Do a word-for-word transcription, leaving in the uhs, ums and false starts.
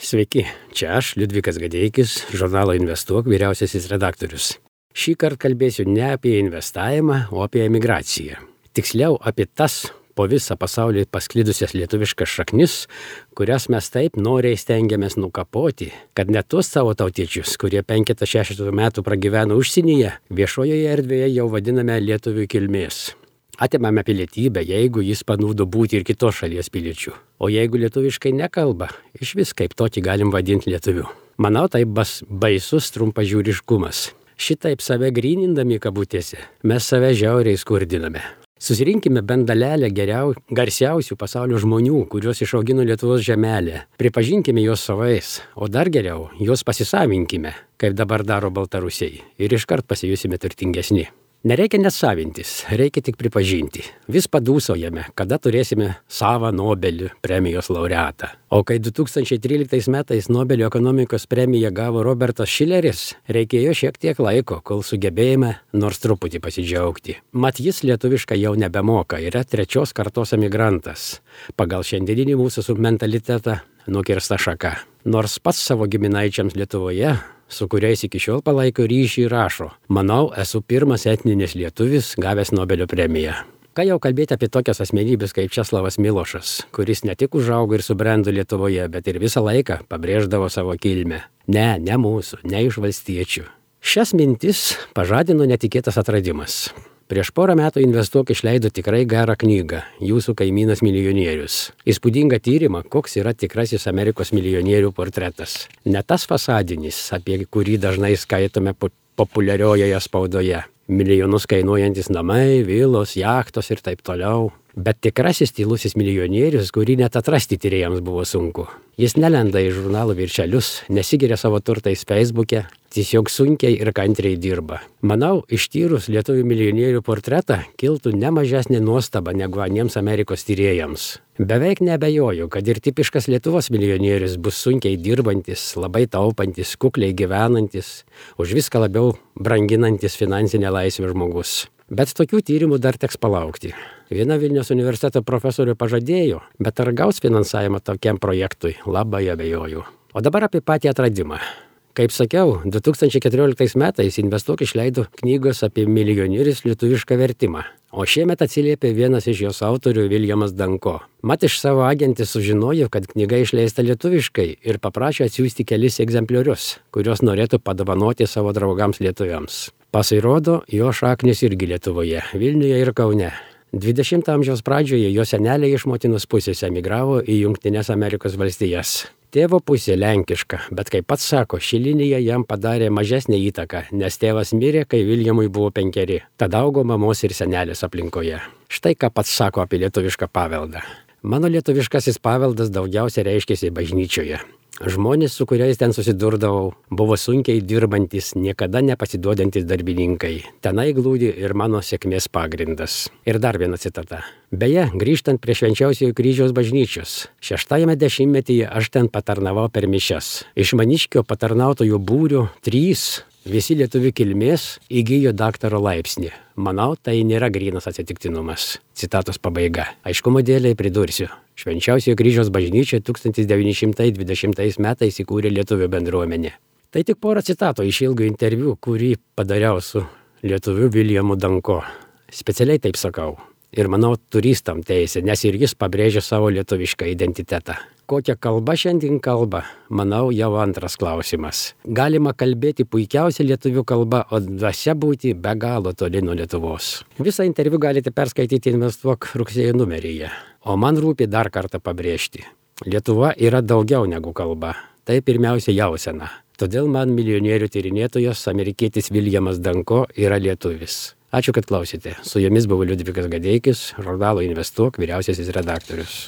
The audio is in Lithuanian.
Sveiki, čia aš, Liudvikas Gadeikis, žurnalo Investuok vyriausiasis redaktorius. Šį kartą kalbėsiu ne apie investavimą, o apie emigraciją. Tiksliau apie tas po visą pasaulį pasklidusias lietuviškas šaknis, kurias mes taip noriai stengiamės nukapoti, kad net tuos savo tautiečius, kurie penketą šešetą metų pragyveno užsienyje, viešojoje erdvėje jau vadiname lietuvių kilmės. Atimame pilietybę, jeigu jis panūdo būti ir kitos šalies piliečių. O jeigu lietuviškai nekalba, iš vis kaip tokį galim vadinti lietuviu. Manau, tai bas baisus trumpažiūriškumas. Šitaip save grynindami kabutėse, mes save žiauriai skurdiname. Susirinkime bent dalelę geriau, garsiausių pasaulio žmonių, kuriuos išaugino Lietuvos žemelė. Pripažinkime juos savais, o dar geriau, juos pasisavinkime, kaip dabar daro Baltarusiai, ir iškart pasijusime turtingesni. Nereikia net savintis, reikia tik pripažinti. Vis padūsaujame, kada turėsime savą Nobelio premijos laureatą. O kai du tūkstančiai tryliktais metais Nobelio ekonomikos premiją gavo Robertas Šileris, reikėjo šiek tiek laiko, kol sugebėjome nors truputį pasidžiaugti. Mat jis lietuviškai jau nebemoka, yra trečios kartos emigrantas. Pagal šiandieninį mūsų mentalitetą nukirsta šaka. Nors pats savo giminaičiams Lietuvoje, su kuriais iki šiol palaiko ryšį, rašo: manau, esu pirmas etninis lietuvis gavęs Nobelio premiją. Ką jau kalbėti apie tokias asmenybės kaip Česlavas Milošas, kuris ne tik užaugo ir subrendo Lietuvoje, bet ir visą laiką pabrėždavo savo kilmę. Ne, ne mūsų, ne iš valstiečių. Šias mintis pažadino netikėtas atradimas. Prieš porą metų Investuok išleido tikrai gerą knygą Jūsų kaimynas milijonierius. Įspūdingą tyrimą, koks yra tikrasis Amerikos milijonierių portretas. Ne tas fasadinis, apie kurį dažnai skaitome populiariojoje spaudoje. Milijonus kainuojantis namai, vilos, jachtos ir taip toliau. Bet tikrasis tylusis milijonierius, kurį net atrasti tyrėjams buvo sunku. Jis nelenda į žurnalų viršelius, nesigiria savo turtais Facebook'e, tiesiog sunkiai ir kantriai dirba. Manau, ištyrus lietuvių milijonierių portretą kiltų ne mažesnė nuostaba negu aniems Amerikos tyrėjams. Beveik neabejoju, kad ir tipiškas Lietuvos milijonierius bus sunkiai dirbantis, labai taupantis, kukliai gyvenantis, už viską labiau branginantis finansinę laisvę žmogus. Bet tokių tyrimų dar teks palaukti. Viena Vilniaus universiteto profesorė pažadėjo, bet ar gaus finansavimą tokiam projektui, labai abejoju. O dabar apie patį atradimą. Kaip sakiau, du tūkstančiai keturioliktais metais Investuok išleido knygos apie milijonierius lietuvišką vertimą. O šiemet atsiliepė vienas iš jos autorių, Viljamas Danko. Mat iš savo agentės sužinojo, kad knyga išleista lietuviškai ir paprašė atsiųsti kelis egzempliorius, kuriuos norėtų padovanoti savo draugams lietuviams. Pasirodo, jo šaknis irgi Lietuvoje, Vilniuje ir Kaune. dvidešimto amžiaus pradžioje jo seneliai iš motinos pusės emigravo į Jungtines Amerikos valstijas. Tėvo pusė lenkiška, bet kaip pats sako, ši linija jam padarė mažesnę įtaką, nes tėvas mirė, kai Viljamui buvo penkeri. Tada augo mamos ir senelės aplinkoje. Štai ką pats sako apie lietuvišką paveldą. Mano lietuviškasis paveldas daugiausia reiškėsi bažnyčioje. Žmonės, su kuriais ten susidurdavau, buvo sunkiai dirbantis, niekada nepasiduodantis darbininkai. Tenai glūdi ir mano sėkmės pagrindas. Ir dar viena citata. Beje, grįžtant prie Švenčiausiojo kryžiaus bažnyčios, šeštajame dešimtmetyje aš ten patarnavau per mišias. Iš Maniškio patarnautojų būrių trys, visi lietuvių kilmės, įgijo daktaro laipsnį. Manau, tai nėra grynas atsitiktinumas. Citatos pabaiga. Aiškumo dėlei pridursiu. Švenčiausiojo kryžiaus bažnyčia tūkstantis devyni šimtai dvidešimtais metais įkūrė lietuvių bendruomenę. Tai tik porą citatų iš ilgo interviu, kurį padariau su lietuviu Viljamu Danko. Specialiai taip sakau. Ir manau, turistam teisė, nes ir jis pabrėžia savo lietuvišką identitetą. Kokia kalba šiandien kalba, manau, jau antras klausimas. Galima kalbėti puikiausia lietuvių kalba, o dvasia būti be galo toli nuo Lietuvos. Visą interviu galite perskaityti Investuok rugsėjo numeryje. O man rūpi dar kartą pabrėžti. Lietuva yra daugiau negu kalba. Tai pirmiausia jausena. Todėl man milijonierių tyrinėtojas, amerikietis Viljamas Danko, yra lietuvis. Ačiū, kad klausėte. Su jumis buvo Liudvikas Gadeikis, žurnalo Investuok vyriausiasis redaktorius.